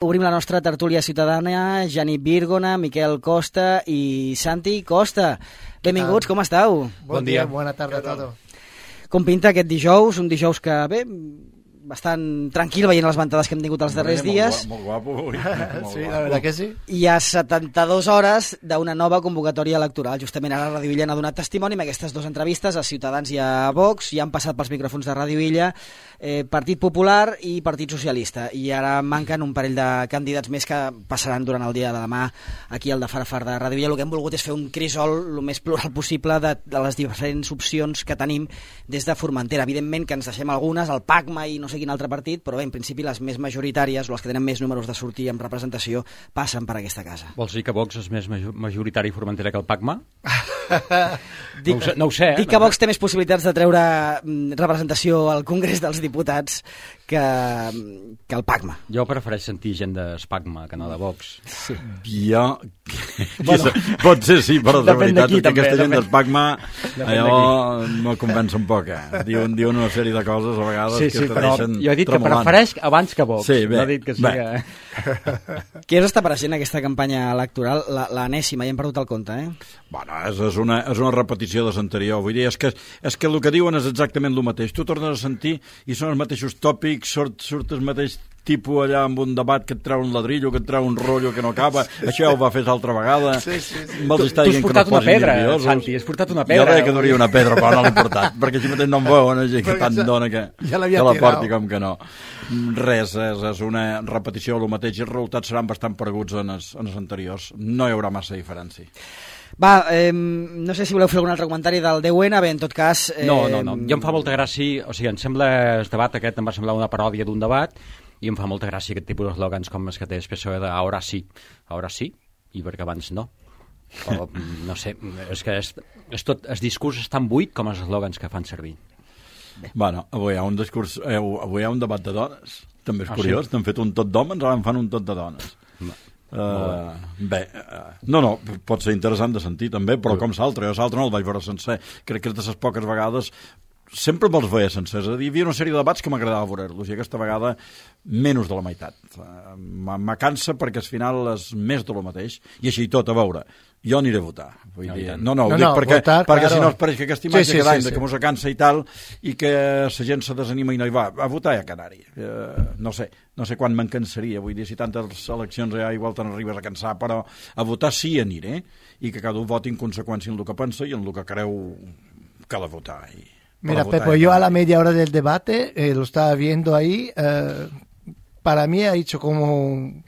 Obrim la nostra tertúlia ciutadana, Janit Virgona, Miquel Costa i Santi Costa. Benvinguts, com esteu? Bon dia, bona tarda a tots. Com pinta aquest dijous? Un dijous que, bé, bastant tranquil veient les ventades que hem tingut els darrers dies. Molt guapo. Sí, la veritat que sí. I a 72 hores d'una nova convocatòria electoral. Justament ara Ràdio Illa n'ha donat testimoni amb aquestes dues entrevistes a Ciutadans i a Vox. Ja han passat pels micròfons de Ràdio Illa Partit Popular i Partit Socialista. I ara manquen un parell de candidats més que passaran durant el dia de demà aquí al de Farafar de Ràdio Illa. El que hem volgut és fer un crisol el més plural possible de les diferents opcions que tenim des de Formentera. Evidentment que ens deixem algunes, el PACMA i no sé quin altre partit, però bé, en principi les més majoritàries o les que tenen més números de sortir amb representació passen per aquesta casa. Vols dir que Vox és més majoritari i Formentera que el PACMA? No ho sé. Dic que Vox té més possibilitats de treure representació al Congrés dels Diputats que el PACMA. Jo prefereix sentir gent d'Espacma que no de Vox. Sí. Jo... Bueno, pot ser sí, però de veritat que aquesta gent d'Espacma allò me convenç un poc. Diuen una sèrie de coses a vegades que te deixen jo he dit tremolant. Que prefereix abans que Vox. Sí, bé, no he dit que siga... Què us està apareixent aquesta campanya electoral? L'enèsima, ja hem perdut el compte, Bueno, és una repetició de l'anterior. Vull dir, és que el que diuen és exactament el mateix. Tu tornes a sentir i són els mateixos tòpics, surt el mateix tipus allà amb un debat que et treu un ladrillo, que et treu un rotllo que no acaba. Això ja ho va fer l'altra vegada. Sí. Tu has portat una pedra, Santi, has portat una pedra. Jo deia que duria una pedra, però no l'he portat, perquè així mateix no em veuen, que tant dona que la porti com que no. Res, és una repetició del mateix i els resultats seran bastant pareguts en els anteriors. No hi haurà massa diferència. Va, no sé si voleu fer algun altre comentari del 10N, bé, en tot cas... No, jo em fa molta gràcia, o sigui, em sembla, el debat aquest em va semblar una paròdia d'un debat, i em fa molta gràcia aquest tipus d'eslògans com els que té el PSOE de ara sí, i perquè abans no. O, no sé, és que és tot, el discurs és tan buit com els eslògans que fan servir. Bueno, avui hi ha un debat de dones, també és curiós, sí? T'han fet un tot d'homes, ara en fan un tot de dones. No, pot ser interessant de sentir també, però com l'altre, jo l'altre no el vaig veure sencer, crec que de les poques vegades sempre me'ls veia sencers, hi havia una sèrie de debats que m'agradava veure-los i aquesta vegada menys de la meitat. Me cansa perquè al final és més de lo mateix i així tot, a veure, jo aniré a votar. Vull dir, no, ho dic perquè si no es pareix que aquesta imatge cada any que mos cansa i tal i que la gent se desanima i no hi va. A votar ja canari. No sé quan me'n cansaria. Vull dir, si tantes eleccions ja igual te n'arribes a cansar, però a votar sí aniré i que cada un voti en conseqüència en el que pensa i en el que creu que ha de votar. Mira, Pepo, yo a la media hora del debate lo estaba viendo ahí. Para mí ha hecho como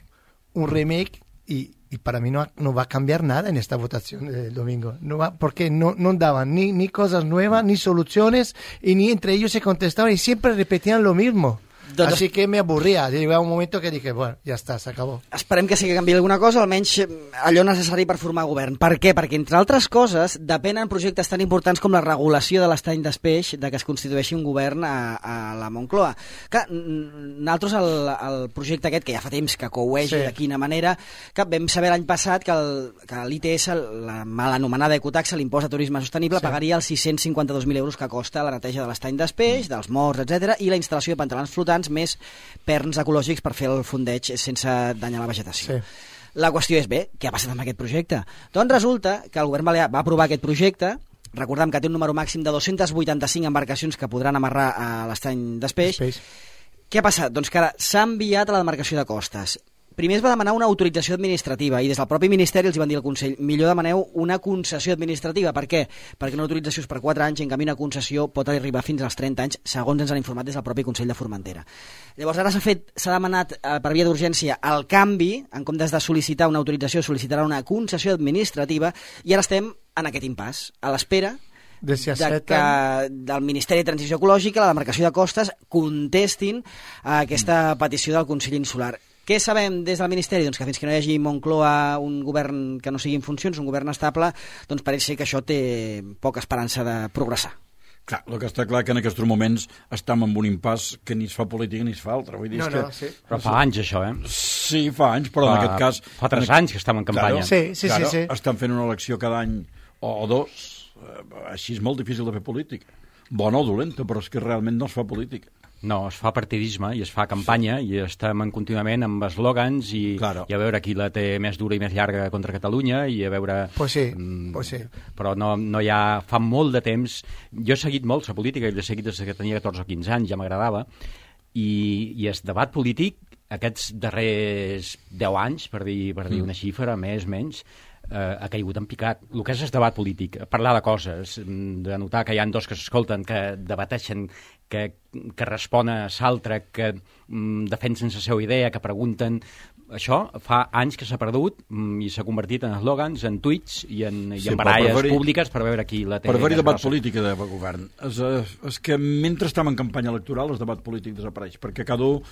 un remake y para mí no va a cambiar nada en esta votación del domingo. Porque no daban ni cosas nuevas, ni soluciones, y ni entre ellos se contestaban y siempre repetían lo mismo. Así que me avorria. Llegava un moment que dije, bueno, ja està, s'acabó. Esperem que sí que canviï alguna cosa, almenys allò necessari per formar govern. Per què? Perquè, entre altres coses, depenen projectes tan importants com la regulació de l'estany d'espeix de que es constitueixi un govern a la Moncloa. Clar, nosaltres el projecte aquest, que ja fa temps que coueix de quina manera, que vam saber l'any passat que l'ITS, la mal anomenada ecotaxa, l'impost de turisme sostenible, pagaria els 652.000 euros que costa la neteja de l'estany d'espeix, dels morts, etc i la instal·lació de pantalons flotants més perns ecològics per fer el fondeig sense danyar la vegetació. La qüestió és, bé, què ha passat amb aquest projecte? Doncs resulta que el govern balear va aprovar aquest projecte, recordem que té un número màxim de 285 embarcacions que podran amarrar a l'estany d'espeix. Què ha passat? Doncs que ara s'ha enviat a la demarcació de costes. Primer es va demanar una autorització administrativa i des del propi Ministeri els van dir al Consell millor demaneu una concessió administrativa. Per què? Perquè una autorització és per 4 anys i en canvi una concessió pot arribar fins als 30 anys, segons ens han informat des del propi Consell de Formentera. Llavors ara s'ha demanat per via d'urgència el canvi, en comptes de sol·licitar una autorització solicitarà una concessió administrativa i ara estem en aquest impàs, a l'espera que del Ministeri de Transició Ecològica, la demarcació de costes, contestin a aquesta petició del Consell Insular. Què sabem des del Ministeri? Doncs que fins que no hi hagi Moncloa un govern que no sigui en funcions, un govern estable, doncs pareix ser que això té poca esperança de progressar. Clar, el que està clar que en aquests moments estem en un impàs que ni es fa política ni es fa altra. Vull dir, sí. Però fa anys això, Sí, fa anys, però en aquest cas... Fa 3 anys que estem en campanya. Sí. Estan fent una elecció cada any o 2, així és molt difícil de fer política. Bona o dolenta, però és que realment no es fa política. No, es fa partidisme i es fa campanya i estem contínuament amb eslògans i a veure qui la té més dura i més llarga contra Catalunya i a veure... Pues sí. Però no hi ha... Fa molt de temps... Jo he seguit molt la política i l'he seguit des que tenia 14 o 15 anys, ja m'agradava, i el debat polític aquests darrers 10 anys, per dir una xifra, més, menys, ha caigut en picat. El que és el debat polític, parlar de coses, de notar que hi ha dos que s'escolten, que debateixen, que responen a l'altre, que defensen la seva idea, que pregunten... Això fa anys que s'ha perdut i s'ha convertit en eslògans, en tuits i en baralles públiques per veure qui la té. Per haver-hi debat polític de govern. És que mentre estem en campanya electoral el debat polític desapareix, perquè cada un,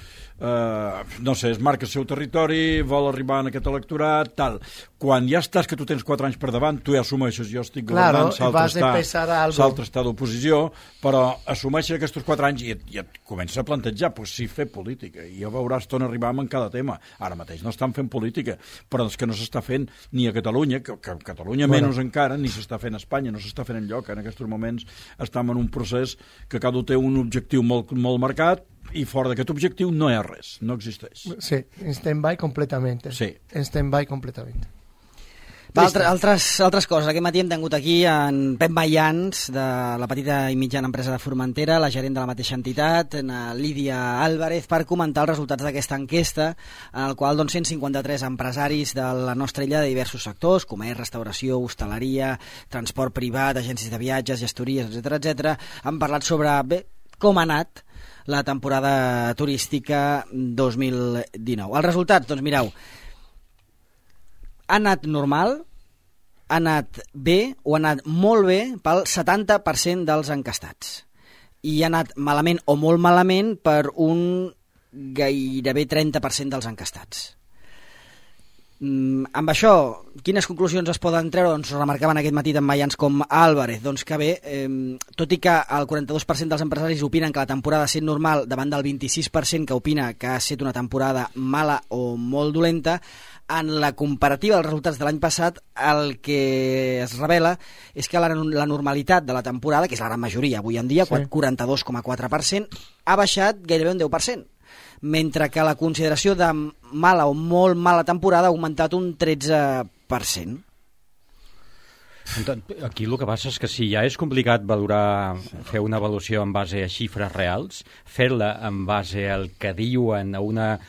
no sé, es marca el seu territori, vol arribar en aquest electorat, tal. Quan ja estàs que tu tens 4 anys per davant, tu ja assumeixes, jo estic governant, l'altre està d'oposició, però assumeixes aquests 4 anys i et comença a plantejar, pues sí, fer política, i ja veuràs on arribam en cada tema. Ara mateix no estan fent política, però és que no s'està fent ni a Catalunya, que a Catalunya menys encara, ni s'està fent a Espanya, no s'està fent enlloc. En aquests moments estem en un procés que cada un té un objectiu molt marcat i fora d'aquest objectiu no hi ha res, no existeix. Sí, en stand-by completament. Sí. En stand-by completament. Altres coses. Aquest matí hem tingut aquí en Pep Mayans, de la petita i mitjana empresa de Formentera, la gerent de la mateixa entitat, Lídia Álvarez, per comentar els resultats d'aquesta enquesta, en el qual 153 empresaris de la nostra illa de diversos sectors, comerç, restauració, hostaleria, transport privat, agències de viatges, gestories, etc., han parlat sobre com ha anat la temporada turística 2019. Els resultats, doncs mireu, ha anat normal, ha anat bé o ha anat molt bé pel 70% dels encastats. I ha anat malament o molt malament per un gairebé 30% dels encastats. Amb això, quines conclusions es poden treure? Doncs remarcaven aquest matí tant Mayans com Álvarez. Doncs que bé, tot i que el 42% dels empresaris opinen que la temporada ha estat normal davant del 26% que opina que ha estat una temporada mala o molt dolenta, en la comparativa dels resultats de l'any passat, el que es revela és que la normalitat de la temporada, que és la gran majoria avui en dia, 42,4%, ha baixat gairebé un 10%, mentre que la consideració de mala o molt mala temporada ha augmentat un 13%. Aquí el que passa és que si ja és complicat fer una avaluació en base a xifres reals, fer-la en base al que diuen a una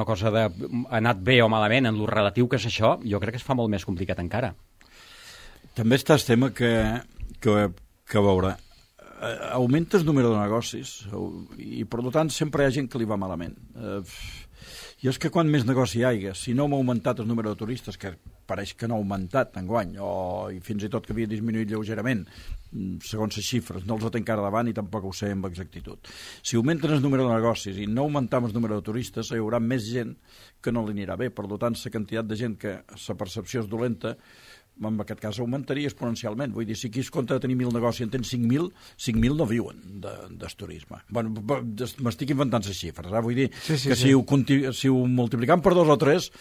cosa de ha anat bé o malament en lo relatiu que és això, jo crec que es fa molt més complicat encara. També està el tema que veure, augmenta el número de negocis i per tant sempre hi ha gent que li va malament. I és que quan més negoci hi hagi, si no hem augmentat el número de turistes, que pareix que no ha augmentat enguany, i fins i tot que havia disminuït lleugerament, segons les xifres, no els ho té encara davant i tampoc ho sé amb exactitud. Si augmenten el número de negocis i no augmentem el número de turistes, hi haurà més gent que no li anirà bé. Per tant, la quantitat de gent que la percepció és dolenta, en aquest cas augmentaria exponencialment. Vull dir, si aquí es compta de tenir 1.000 negocis i en tens 5.000 no viuen del turisme. Bueno, m'estic inventant les xifres, vull dir que si ho multiplicam per 2 o 3,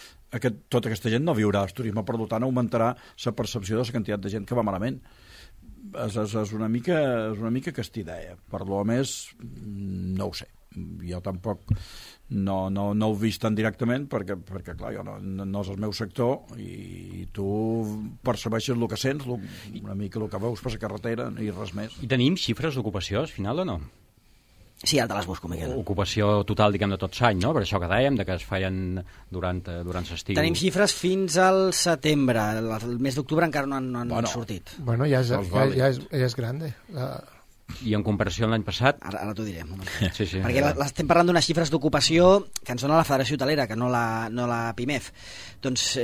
tota aquesta gent no viurà del turisme, per tant augmentarà la percepció de la quantitat de gent que va malament. És una mica aquesta idea. Per lo més, no ho sé. Jo tampoc no ho he vist tan directament perquè clar, jo no és el meu sector i tu percebeixes el que sents, una mica el que veus per la carretera i res més. I tenim xifres d'ocupació al final o no? Sí, ara te les busco, Miquel. Ocupació total, diguem, de tot l'any, no? Per això que dèiem, que es feien durant l'estiu. Tenim xifres fins al setembre. El mes d'octubre encara no han sortit. Bueno, ja és grande. I en comparació amb l'any passat... Ara t'ho diré. Sí. Perquè estem parlant d'unes xifres d'ocupació que ens dona la Federació Hotelera, que no la PIMEF. Doncs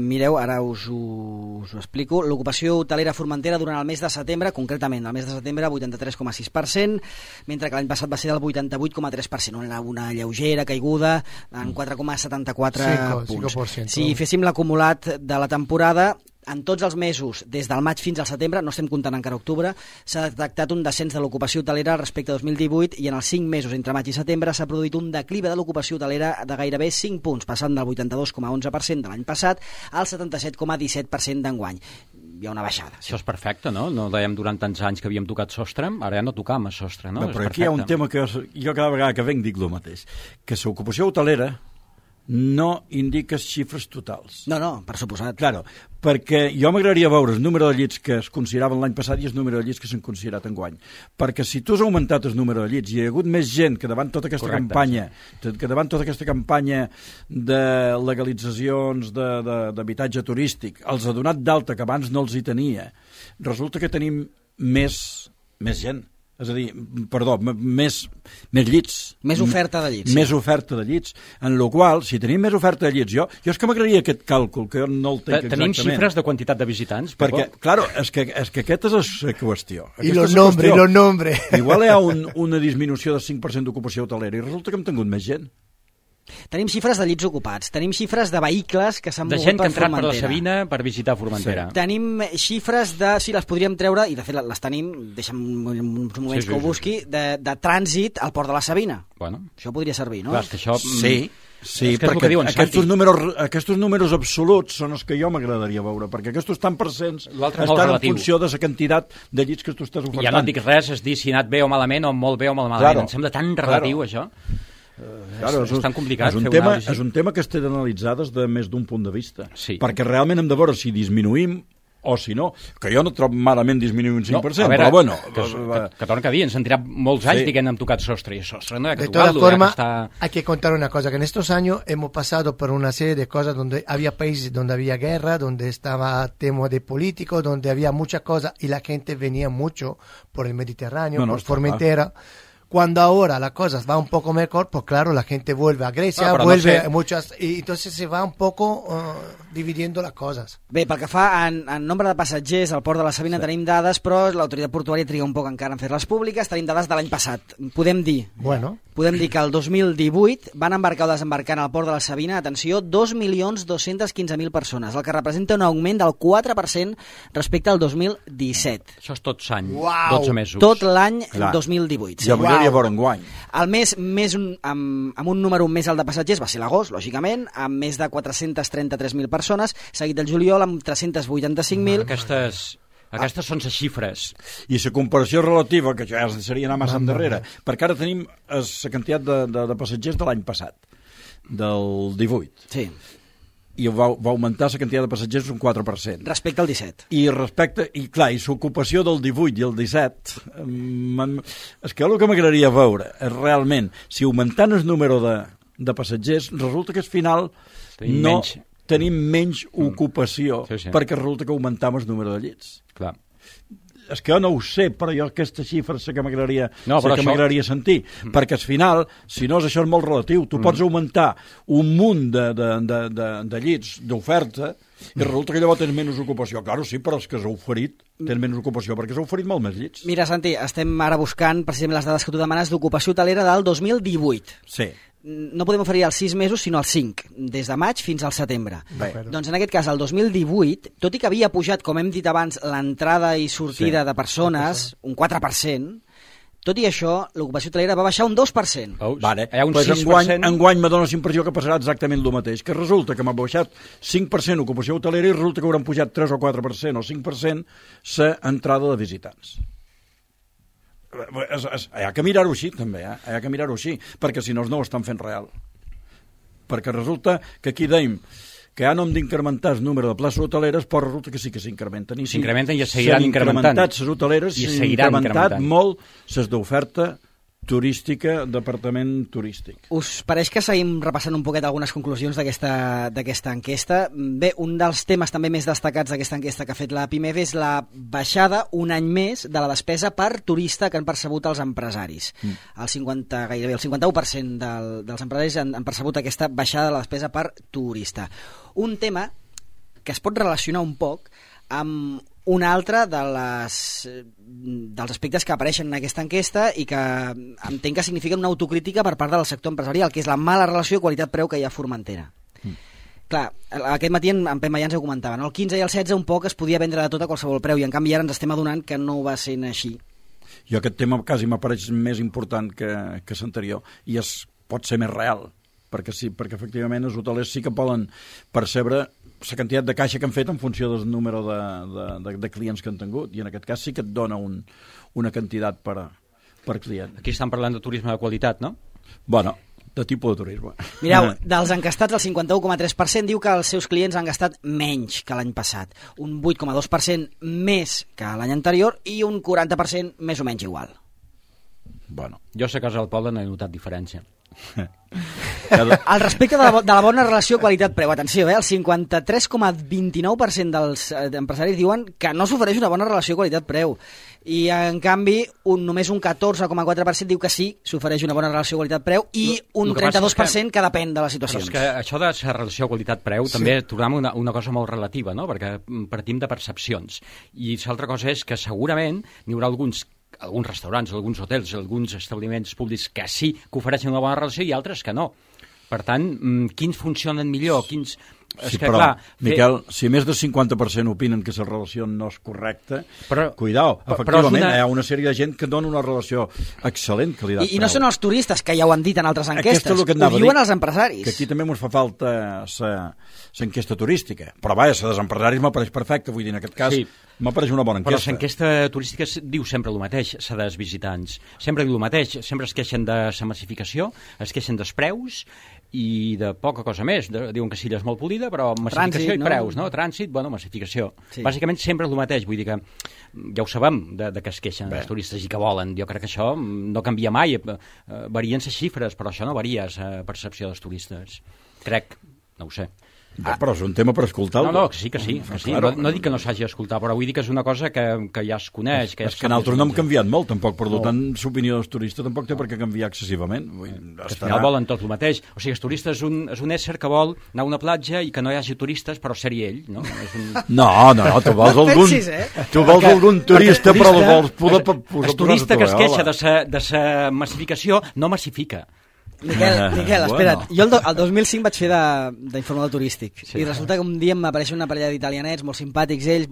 mireu, ara us ho explico. L'ocupació hotelera a Formentera durant el mes de setembre, concretament el mes de setembre, 83,6%, mentre que l'any passat va ser del 88,3%. Una lleugera caiguda en 4,74 punts. Si féssim l'acumulat de la temporada, en tots els mesos, des del maig fins al setembre, no estem comptant encara octubre, s'ha detectat un descens de l'ocupació hotelera respecte a 2018 i en els 5 mesos entre maig i setembre s'ha produït un declive de l'ocupació hotelera de gairebé 5 punts, passant del 82,11% de l'any passat al 77,17% d'enguany. hi ha una baixada. Sí. Això és perfecte, no? No dèiem durant tants anys que havíem tocat sostre, ara ja no tocam a sostre, no? Però aquí hi ha un tema que jo cada vegada que venc dic el mateix, que l'ocupació hotelera no indiques xifres totals. No, per suposat. Claro, perquè jo m'agradaria veure el número de llits que es consideraven l'any passat i el número de llits que s'han considerat enguany. Perquè si tu has augmentat el número de llits i hi ha hagut més gent que davant tota aquesta campanya de legalitzacions d'habitatge turístic els ha donat d'alta que abans no els hi tenia, resulta que tenim més gent. És a dir, més llits. Més oferta de llits. Més oferta de llits. En la qual, si tenim més oferta de llits, jo és que m'agradaria aquest càlcul, que no el tenc exactament. Tenim xifres de quantitat de visitants? Perquè, claro, és que aquesta és la qüestió. I los nombres. Igual hi ha una disminució de 5% d'ocupació hotelera i resulta que hem tingut més gent. Tenim xifres de llits ocupats, tenim xifres de vehicles que s'han mogut per Formentera. De gent que ha entrat per la Sabina per visitar Formentera. Sí. Tenim xifres de, si les podríem treure, i de fet les tenim, deixa'm uns moments que ho busqui, de trànsit al port de la Sabina. Bueno. Això podria servir, no? Clar, és que això... Sí, perquè aquests números absoluts són els que jo m'agradaria veure, perquè aquests tant percents estan en funció de la quantitat de llits que tu estàs ofertant. Ja no et dic res, és dir si ha anat bé o malament o molt bé o molt malament. Em sembla tan relatiu, això. Claro, és tan complicat fer una anàlisi. És un tema que es té d'analitzar des de més d'un punt de vista, perquè realment hem de veure si disminuïm o si no, que jo no trobo malament disminuir un 5%, però bueno... Que torna a dir, ens han tirat molts anys dient hem tocat sostre, y sostre no hay que tocarlo. De todas formas, hay que contar una cosa, que en estos años hemos pasado por una serie de cosas donde había países donde había guerra, donde estaba tema de políticos, donde había muchas cosas y la gente venía mucho por el Mediterráneo, por Formentera. Cuando ahora la cosa va un poco mejor, pues claro, la gente vuelve a Grecia, vuelve a muchas... Y entonces se va un poco dividiendo las cosas. Bé, pel que fa en nombre de passatgers al port de la Sabina tenim dades, però l'autoritat portuària triga un poc encara en fer-les públiques. Tenim dades de l'any passat. Podem dir que el 2018 van embarcar o desembarcar en el port de la Sabina, atenció, 2.215.000 persones, el que representa un augment del 4% respecte al 2017. Això és tot l'any, 12 mesos. Tot l'any 2018. Ja m'agradaria veure enguany. El mes amb un número més alt de passatgers va ser l'agost, lògicament, amb més de 433.000 persones, seguit del juliol amb 385.000. Aquestes són les xifres. I la comparació relativa, que ja seria anar massa endarrere, perquè ara tenim la quantitat de passatgers de l'any passat, del 18. Sí. I va augmentar la quantitat de passatgers un 4%. Respecte al 17. I l'ocupació del 18 i el 17, és que el que m'agradaria veure és realment, si augmentant el número de passatgers, resulta que al final tenim menys ocupació, perquè resulta que augmentam el número de llits. Clar. És que jo no ho sé, però jo aquesta xifra sé que m'agradaria sentir, perquè al final, si no, això és molt relatiu. Tu pots augmentar un munt de llits d'oferta i resulta que llavors tens menys ocupació. Claro, sí, però és que s'ha oferit, tens menys ocupació perquè s'ha oferit molt més llits. Mira, Santi, estem ara buscant precisament les dades que tu demanes d'ocupació hotelera del 2018. Sí. No podem oferir els 6 mesos, sinó els 5, des de maig fins al setembre. Doncs en aquest cas, el 2018, tot i que havia pujat, com hem dit abans, l'entrada i sortida de persones, un 4%, tot i això, l'ocupació hotelera va baixar un 2%. Vale. Pues enguany m'adona la impressió que passarà exactament el mateix, que resulta que m'ha baixat 5% ocupació hotelera i resulta que hauran pujat 3 o 4% o 5% l'entrada de visitants. Hi ha que mirar-ho així també, hi ha que mirar-ho així, perquè si no ho estan fent real, perquè resulta que aquí dèiem que ja no hem d'incrementar el número de places hoteleres, però resulta que sí que s'incrementen, i s'incrementen i es seguiran incrementant. S'han incrementat les hoteleres i s'han incrementat molt les d'oferta turística, departament turístic. Us pareix que seguim repassant un poquet algunes conclusions d'aquesta enquesta? Bé, un dels temes també més destacats d'aquesta enquesta que ha fet la PIMEF és la baixada un any més de la despesa per turista que han percebut els empresaris. Gairebé el 51% dels empresaris han percebut aquesta baixada de la despesa per turista. Un tema que es pot relacionar un poc amb un altre dels aspectes que apareixen en aquesta enquesta i que entenc que signifiquen una autocrítica per part del sector empresarial, que és la mala relació qualitat-preu que hi ha a Formentera. Clar, aquest matí en Pep Mayans ho comentava, no? El 15 i el 16 un poc es podia vendre de tot a qualsevol preu i en canvi ara ens estem adonant que no va sent així. Jo aquest tema quasi m'apareix més important que l'anterior i pot ser més real. perquè efectivament els hotelers sí que poden percebre la quantitat de caixa que han fet en funció del número de clients que han tingut, i en aquest cas sí que et dona una quantitat per client. Aquí estan parlant de turisme de qualitat, no? Bueno, de tipus de turisme. Mireu, dels encastats, el 51,3% diu que els seus clients han gastat menys que l'any passat, un 8,2% més que l'any anterior i un 40% més o menys igual. Bueno. Jo sé que a Casa del Poble no he notat diferència. Al respecte de la bona relació qualitat-preu, atenció, el 53,29% dels empresaris diuen que no s'ofereix una bona relació qualitat-preu, i en canvi només un 14,4% diu que sí, s'ofereix una bona relació qualitat-preu, i un 32% que depèn de les situacions. Però és que això de la relació qualitat-preu també trobem una cosa molt relativa, no? Perquè partim de percepcions, i l'altra cosa és que segurament n'hi haurà alguns restaurants, alguns hotels, alguns establiments públics que sí que ofereixen una bona relació i altres que no. Per tant, quins funcionen millor, quins... Sí, però, clar, Miquel, si més del 50% opinen que la relació no és correcta, cuidao, efectivament, hi ha una sèrie de gent que dona una relació excel·lent qualitat-preu. I no són els turistes, que ja ho han dit en altres enquestes, ho diuen els empresaris. Que aquí també ens fa falta l'enquesta turística, però vaja, la dels empresaris m'apareix perfecte, vull dir, en aquest cas m'apareix una bona enquesta. Però l'enquesta turística diu sempre el mateix, la dels visitants, sempre diu el mateix, sempre es queixen de la massificació, es queixen dels preus i de poca cosa més, diuen que Silla és molt polida, però massificació i preus, no? Trànsit, bueno, massificació. Sí. Bàsicament sempre és el mateix, vull dir que ja ho sabem de que es queixen els turistes i que volen. Jo crec que això no canvia mai, varien les xifres, però això no varia la percepció dels turistes. Crec, no ho sé. Però és un tema per escoltar-lo. No, que sí. Claro. No dic que no s'hagi d'escoltar, però vull dir que és una cosa que ja es coneix. És que nosaltres no hem canviat molt, tampoc, per tant, l'opinió dels turistes tampoc té per què canviar excessivament. Al final volen tot el mateix. O sigui, el turista és un ésser que vol anar a una platja i que no hi hagi turistes, però ser-hi ell, no? No, tu vols algun turista, però el vols poder posar... El turista que es queixa de la massificació no massifica. Miquel, espera't. Jo el 2005 vaig fer d'informador turístic i resulta que un dia m'apareix una parella d'italianets molt simpàtics, ells,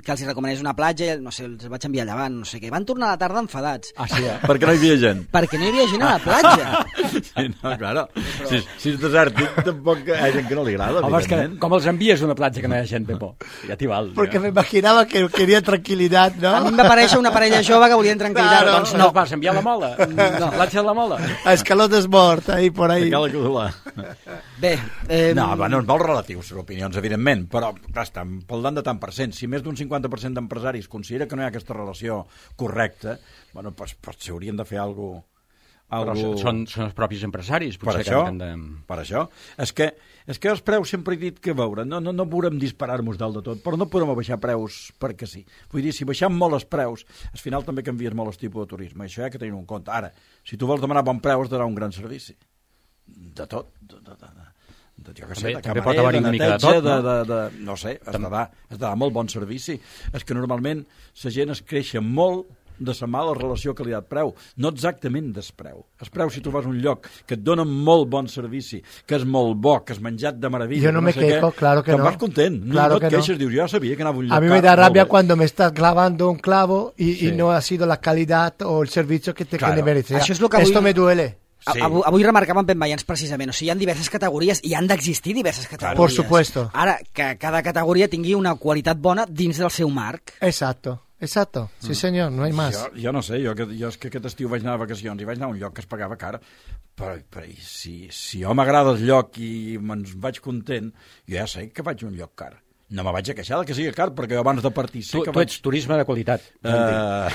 que els recomanés una platja, no sé, els vaig enviar llevant, no sé què. Van tornar a la tarda enfadats. Perquè no hi havia gent. Perquè no hi havia gent a la platja. Sí, no, claro. Si és desèrtic, tampoc hi ha gent que no li agrada. Home, és que com els envies a una platja que no hi ha gent, Pepo? Ja t'hi val. Porque me imaginaba que quería tranquilidad, ¿no? A mi em va aparèixer una parella jove que volien tranquil·litat. Claro. Doncs no. Vas enviar la Mola? No. Platja de la Mola? A Escalotes Mort, ahí por ahí. Bé, no, és molt relatiu, les opinions, evidentment, però clar, estan parlant de tant per cent. Si més d'un 50% d'empresaris considera que no hi ha aquesta relació correcta, bueno, pues s'haurien de fer alguna cosa... Són els propis empresaris, potser. Per això. És que els preus sempre he dit que no podem disparar-nos dalt de tot, però no podem baixar preus perquè sí. Vull dir, si baixem molt els preus, al final també canvies molt el tipus de turisme, això hi ha que tenir en compte. Ara, si tu vols demanar bon preu, has de donar un gran servici. De tot, jo que sé, de camarer, de neteja, no sé, has de dar molt bon servici. És que normalment la gent es queixa molt de la mala relació qualitat-preu, no exactament del preu. El preu, si tu vas a un lloc que et dona molt bon servici, que és molt bo, que has menjat de meravella, yo no me quejo, claro que no. Vas content, claro no et queixes, dius, jo ja sabia que anava a un lloc. A mí me da rabia cuando me estás clavando un clavo y no ha sido la calidad o el servicio que te merecía. Esto me duele. Sí. Avui remarcàvem Ben Veians precisament, o sigui, hi ha diverses categories i han d'existir diverses categories. Por supuesto. Ara, que cada categoria tingui una qualitat bona dins del seu marc. Exacto. Sí senyor, no hay más. Jo no sé, jo és que aquest estiu vaig anar a vacacions i vaig anar a un lloc que es pagava car, però si jo m'agrada el lloc i me'n vaig content, jo ja sé que vaig a un lloc car. No me vaig a queixar que sigui car, perquè abans de partir sé que tu ets turisme de qualitat. A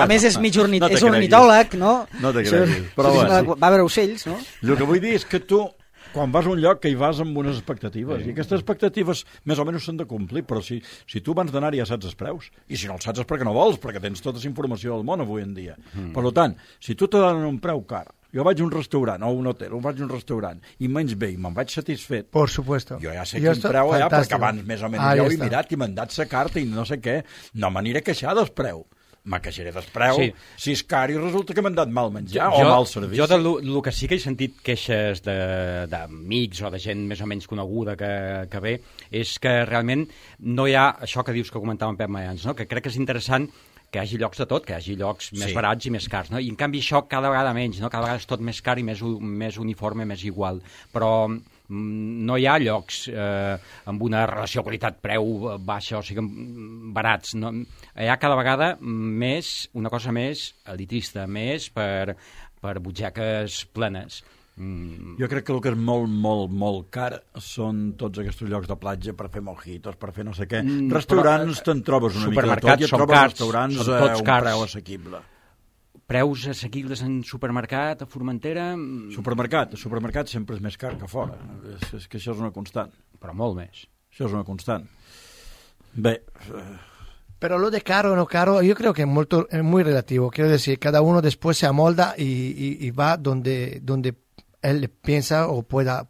més, és mig és ornitòleg, no? No te creguis. Però va veure ocells, no? El que vull dir és que tu, quan vas a un lloc, que hi vas amb unes expectatives, i aquestes expectatives més o menys s'han de complir, però si tu abans d'anar ja saps els preus, i si no els saps és perquè no vols, perquè tens tota la informació del món avui en dia. Per tant, si tu te donen un preu car, jo vaig a un restaurant o un hotel, vaig a un restaurant i menys bé i me'n vaig satisfet, por supuesto. Jo ja sé quin preu hi ha, perquè abans més o menys ja ho he mirat i m'han dat la carta i no sé què, no m'aniré a queixar del preu. Me queixaré del preu, si és car i resulta que m'han dat mal menjar o mal servici. Jo del que sí que he sentit queixes d'amics o de gent més o menys coneguda que ve, és que realment no hi ha això que dius que comentava en Pep Mayans, no? Que crec que és interessant hi hagi llocs de tot, que hi hagi llocs més barats i més cars, no? I en canvi això cada vegada menys, no? Cada vegada és tot més car i més uniforme, més igual. Però no hi ha llocs amb una relació qualitat-preu baixa, o sigui, barats. No? Hi ha cada vegada una cosa més elitista, més per butxaques plenes. Jo crec que el que és molt, molt, molt car són tots aquests llocs de platja per fer mojitos, per fer no sé què. Restaurants te'n trobes una mica de tot i et trobes restaurants a un preu assequible. Preus assequibles en supermercat, a Formentera... Supermercat sempre és més car que fora. És que això és una constant. Però molt més. Això és una constant. Bé... Pero lo de caro o no caro, yo creo que es muy relativo. Quiero decir, cada uno después se amolda y va donde él piensa o pueda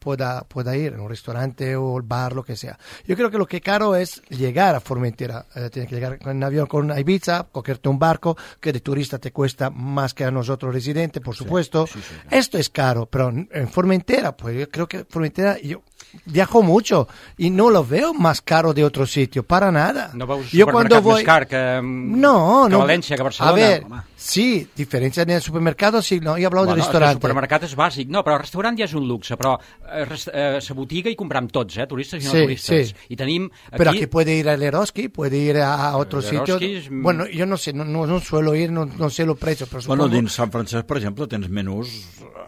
ir, en un restaurante o el bar, lo que sea. Yo creo que lo que es caro es llegar a Formentera. Tienes que llegar en avión con Ibiza, cogerte un barco, que de turista te cuesta más que a nosotros residentes, por supuesto. Sí. Esto es caro, pero en Formentera, pues yo creo que Formentera... Yo viajo mucho y no lo veo más caro de otro sitio, para nada. No veus supermercat més car que València, que Barcelona? A ver, sí, diferencia en el supermercado, sí, no, he hablado de restaurante. El supermercat és bàsic, no, però el restaurant ja és un luxe, però la botiga hi compram tots, turistes i no turistes. Sí. I tenim aquí... Pero aquí puede ir al Eroski, puede ir a otro sitio. Bueno, yo no sé, no suelo ir, no sé los precios, però supongo... Bueno, dins Sant Francesc, per exemple, tens menús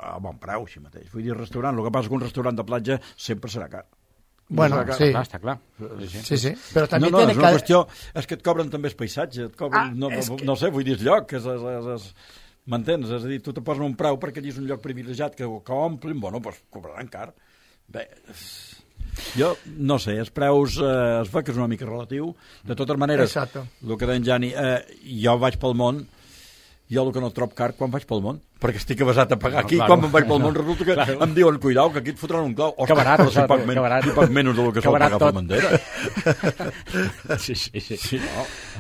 a bon preu, així mateix. Vull dir, restaurant, el que passa que un restaurant de platja sempre serà car. Bueno, sí. Està clar. Sí. Però també és una qüestió... És que et cobren també el paisatge, et cobren, no sé, vull dir, el lloc, m'entens? És a dir, tu te posen un preu perquè allí és un lloc privilegiat que omplin, bueno, doncs cobraran car. Bé, jo no sé, els preus es veu que és una mica relatiu. De totes maneres, el que deia en Jani, jo vaig pel món, jo el que no trobo car quan vaig pel món, perquè estic avasat a pagar aquí, quan me'n vaig pel món resulta que em diuen, cuidao, que aquí et fotran un clau. Que barat, si poc menys del que sol pagar per Formentera. Sí.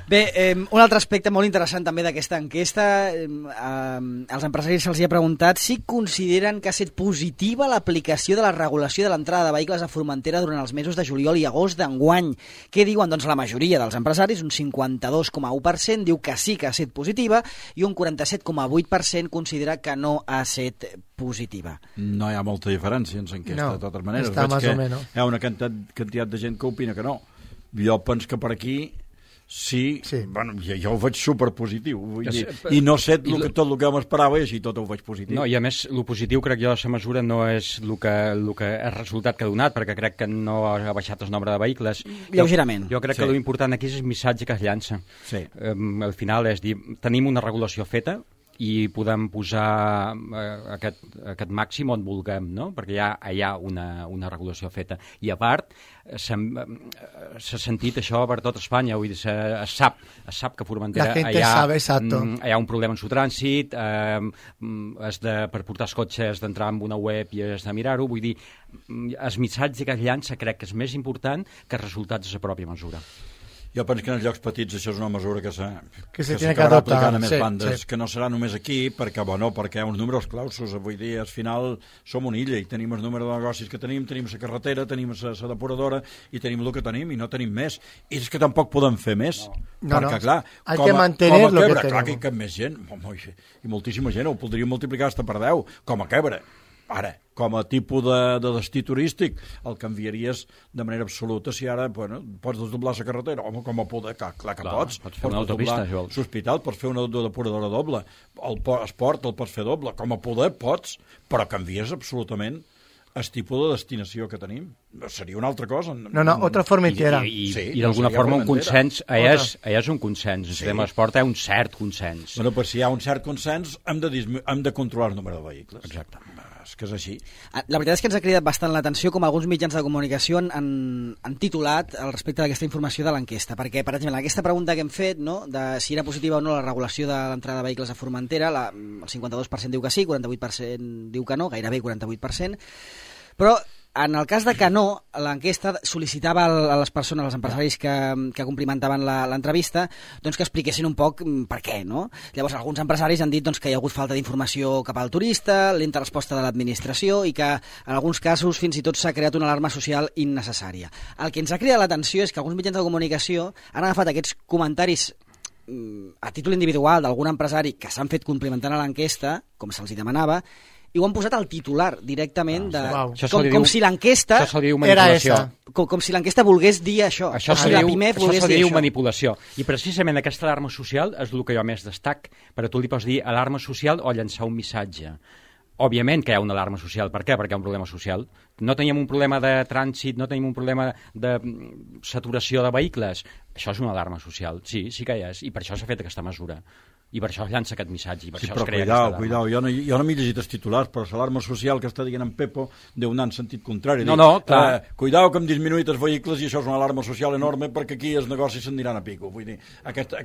Bé, un altre aspecte molt interessant també d'aquesta enquesta, als empresaris se'ls ha preguntat si consideren que ha estat positiva l'aplicació de la regulació de l'entrada de vehicles a Formentera durant els mesos de juliol i agost d'enguany. Què diuen? Doncs la majoria dels empresaris, un 52,1%, diu que sí que ha estat positiva i un 47,8% considera que no ha estat positiva. No hi ha molta diferència en l'enquesta, de totes maneres. Veig que hi ha una quantitat de gent que opina que no. Jo penso que per aquí sí. Bueno, jo ho veig superpositiu. I no sé tot el que m'esperava i així tot ho veig positiu. No, i a més, el positiu crec jo a la mesura no és el que resultat que ha donat, perquè crec que no ha baixat el nombre de vehicles. Lleugerament. Jo crec que l'important aquí és el missatge que es llança. Al final és dir, tenim una regulació feta, i podem posar aquest màxim on vulguem, no? Perquè hi ha una regulació feta. I a part, s'ha sentit això per tot Espanya, vull dir, es sap que a Formentera hi ha un problema en su trànsit, per portar els cotxes d'entrar en una web i has de mirar-ho, vull dir, el missatge que es llança crec que és més important que els resultats de la pròpia mesura. Jo penso que en els llocs petits això és una mesura que s'acabarà aplicant a més bandes, que no serà només aquí, perquè hi ha uns números clausos, vull dir, al final som una illa i tenim el número de negocis que tenim la carretera, tenim la depuradora i tenim el que tenim i no tenim més. I és que tampoc podem fer més, perquè clar, com a Quebre, clar que hi cap més gent, i moltíssima gent, ho podríem multiplicar fins per 10, com a Quebre. Ara, com a tipus de destí turístic, el canviaries de manera absoluta si ara pots desdoblar la carretera. Home, com a poder, clar que pots. Pots fer una autopista, si vols. L'hospital, pots fer una depuradora doble. El esport el pots fer doble. Com a poder pots, però canvies absolutament el tipus de destinació que tenim. Seria una altra cosa. No, otra Formentera. I d'alguna forma un consens, és un consens. El tema d'esport és un cert consens. Bueno, però si hi ha un cert consens, hem de controlar el número de vehicles. Exacte. És que és així. La veritat és que ens ha cridat bastant l'atenció com alguns mitjans de comunicació han titulat al respecte d'aquesta informació de l'enquesta, perquè, per exemple, aquesta pregunta que hem fet, no, de si era positiva o no la regulació de l'entrada de vehicles a Formentera, el 52% diu que sí, 48% diu que no, gairebé 48%, però en el cas de que no, l'enquesta sol·licitava a les persones, als empresaris que complimentaven l'entrevista, doncs que expliquessin un poc per què, no? Llavors, alguns empresaris han dit doncs, que hi ha hagut falta d'informació cap al turista, lenta resposta de l'administració i que en alguns casos fins i tot s'ha creat una alarma social innecessària. El que ens ha cridat l'atenció és que alguns mitjans de comunicació han agafat aquests comentaris a títol individual d'algun empresari que s'han fet complementant a l'enquesta, com se'ls hi demanava, i ho han posat al titular directament de... Com si l'enquesta... Això se li diu manipulació. Com si l'enquesta volgués dir això. Això se li diu manipulació. I precisament aquesta alarma social és el que jo més destac, perquè tu li pots dir alarma social o llançar un missatge. Òbviament que hi ha una alarma social. Per què? Perquè hi ha un problema social. No teníem un problema de trànsit, no tenim un problema de saturació de vehicles. Això és una alarma social. Sí que hi és. I per això s'ha fet aquesta mesura. I per això es llança aquest missatge. I per això es crea cuidao. Jo no m'he llegit els titulars, però l'alarma social que està dient en Pepo deu anar en sentit contrari. Clar. Cuidao que hem disminuït els vehicles i això és una alarma social enorme perquè aquí els negocis s'aniran a pico. Vull dir, aquest,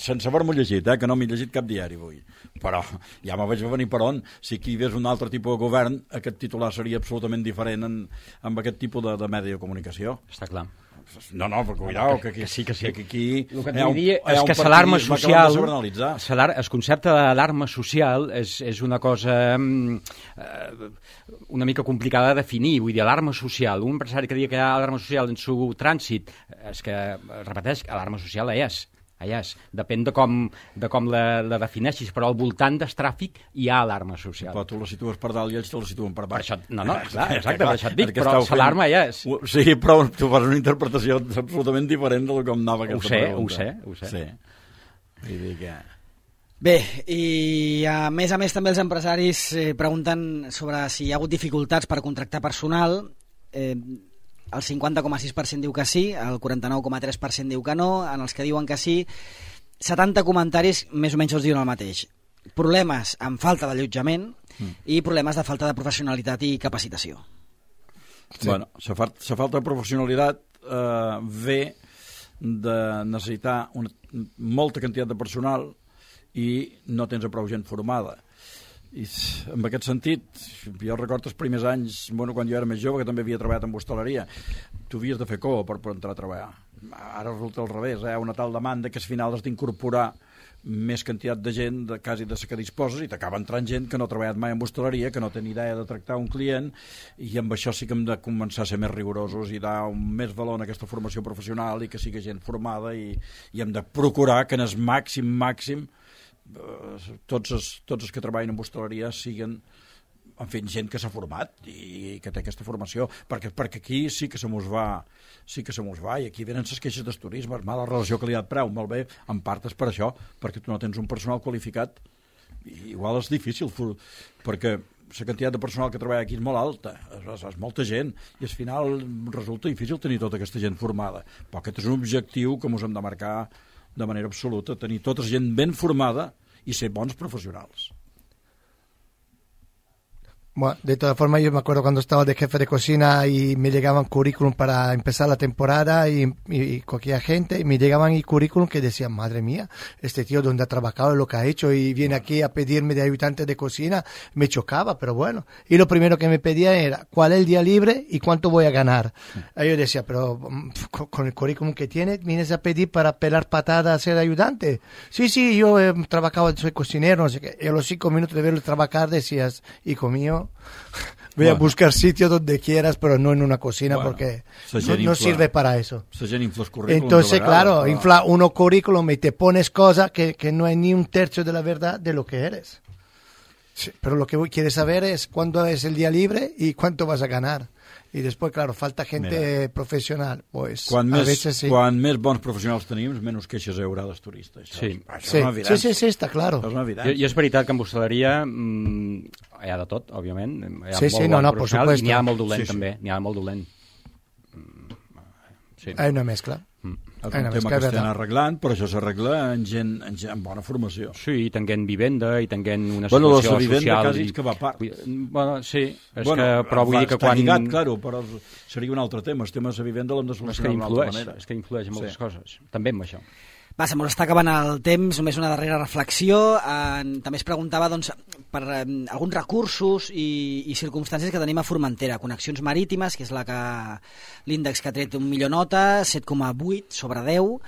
sense haver-m'ho llegit, que no m'he llegit cap diari avui. Però ja me vaig venir per on. Si aquí hi hagués un altre tipus de govern, aquest titular seria absolutament diferent amb aquest tipus de medi de comunicació. Està clar. No, però cuidao, que sí. Que aquí el que t'ho dir és que l'alarma social, el concepte de l'alarma social és una cosa una mica complicada de definir. Vull dir, alarma social, un empresari que digui que hi ha alarma social en su trànsit, és que, repeteix, alarma social és. Depèn de com la defineixis, però al voltant del tràfic hi ha alarma social. Però tu la situes per dalt i ells te la situen per baix. Exacte, per això et dic, però l'alarma ja és. Sí, però tu fas una interpretació absolutament diferent de com anava aquesta pregunta. Ho sé. Vull dir que... Bé, i a més també els empresaris pregunten sobre si hi ha hagut dificultats per contractar personal. El 50,6% diu que sí, el 49,3% diu que no, en els que diuen que sí, 70 comentaris més o menys els diuen el mateix. Problemes amb falta d'allotjament i problemes de falta de professionalitat i capacitació. Sí. Bueno, la falta de professionalitat ve de necessitar molta quantitat de personal i no tens prou gent formada. I en aquest sentit, jo recordo els primers anys, quan jo era més jove, que també havia treballat en hostaleria, tu havies de fer cua per entrar a treballar. Ara resulta al revés, hi ha una tal demanda que al final has d'incorporar més quantitat de gent quasi de la que disposes i t'acaba entrant gent que no ha treballat mai en hostaleria, que no té ni idea de tractar un client, i amb això sí que hem de començar a ser més rigorosos i dar més valor a aquesta formació professional i que sigui gent formada i hem de procurar que en el màxim tots els que treballen en hostaleria siguin gent que s'ha format i que té aquesta formació, perquè aquí sí que se mos va i aquí venen les queixes del turisme, la relació qualitat-preu, molt bé, en part és per això, perquè tu no tens un personal qualificat i igual és difícil perquè la quantitat de personal que treballa aquí és molt alta, és molta gent i al final resulta difícil tenir tota aquesta gent formada, però aquest és un objectiu que ens hem de marcar de manera absoluta, tenir tota gent ben formada y ser bons profesionals. Bueno, de todas formas, yo me acuerdo cuando estaba de jefe de cocina y me llegaban currículum para empezar la temporada y cogía gente y me llegaban y currículum que decían, madre mía, este tío donde ha trabajado, lo que ha hecho y viene aquí a pedirme de ayudante de cocina, me chocaba, pero bueno. Y lo primero que me pedía era, ¿cuál es el día libre y cuánto voy a ganar? Y yo decía, pero con el currículum que tienes, vienes a pedir para pelar patadas a ser ayudante. Sí, yo he trabajado, soy cocinero, no sé qué. Y a los 5 minutos de verlo trabajar decías, hijo mío, voy a buscar sitio donde quieras, pero no en una cocina porque no sirve para eso. Entonces, claro, infla uno currículum y te pones cosas que no hay ni un tercio de la verdad de lo que eres. Sí, pero lo que quieres saber es cuándo es el día libre y cuánto vas a ganar. I després, clar, falta gent professional. Pues, quan més bons professionals tenim, menys queixes hi haurà dels turistes. Sí, està clar. I és veritat que en hostaleria hi ha de tot, òbviament. Hi ha molt bon professional i n'hi ha molt dolent, també. N'hi ha molt dolent. Hi ha una mescla. És un tema que estem arreglant, però això s'arregla amb bona formació. Sí, i tenint vivenda, i tenint una situació social... la vivenda quasi és que va a part. Però vull dir que quan... Està lligat, claro, però seria un altre tema. El tema de la vivenda l'hem de solucionar d'una altra manera. És que influeix en moltes coses, també amb això. Va, se mos està acabant el temps, només una darrera reflexió. També es preguntava per alguns recursos i circumstàncies que tenim a Formentera. Connexions marítimes, que és l'índex que ha tret un millor nota, 7,8 sobre 10.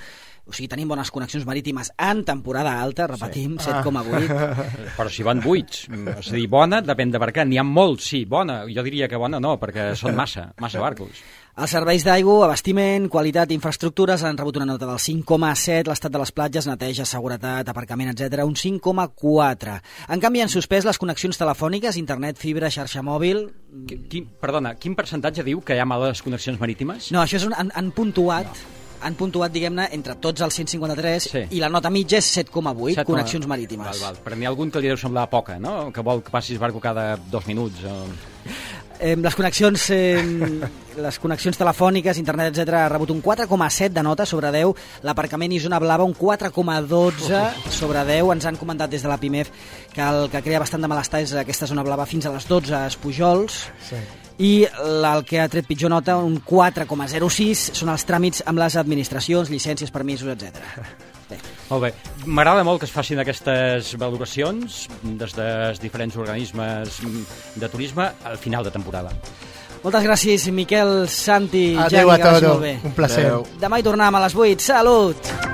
O sigui, tenim bones connexions marítimes en temporada alta, repetim, 7,8. Però si van 8, és a dir, bona depèn de per què. N'hi ha molts, sí, bona. Jo diria que bona no, perquè són massa barcos. Els serveis d'aigua, abastiment, qualitat i infraestructures han rebut una nota del 5,7, l'estat de les platges, neteja, seguretat, aparcament, etc. un 5,4. En canvi, han suspès les connexions telefòniques, internet, fibra, xarxa mòbil... Perdona, quin percentatge diu que hi ha males connexions marítimes? No, això és han puntuat... No. Han puntuat, diguem-ne, entre tots els 153 sí. I la nota mitja és 7,8 connexions marítimes. Val. Però n'hi ha algun que li deu semblar poca, no? Que vol que passis barco cada 2 minuts. Les connexions telefòniques, internet, etc. ha rebut un 4,7 de nota sobre 10. L'aparcament i zona blava un 4,12 sobre 10. Ens han comentat des de la PIMEF que el que crea bastant de malestar és aquesta zona blava fins a les 12 a Espujols. Sí. I el que ha tret pitjor nota, un 4,06, són els tràmits amb les administracions, llicències, permisos, etc. Bé. Molt bé. M'agrada molt que es facin aquestes valoracions des dels diferents organismes de turisme al final de temporada. Moltes gràcies, Miquel, Santi, Adéu Jani, a tots, molt bé. un placer. Demà hi tornem a les 8. Salut!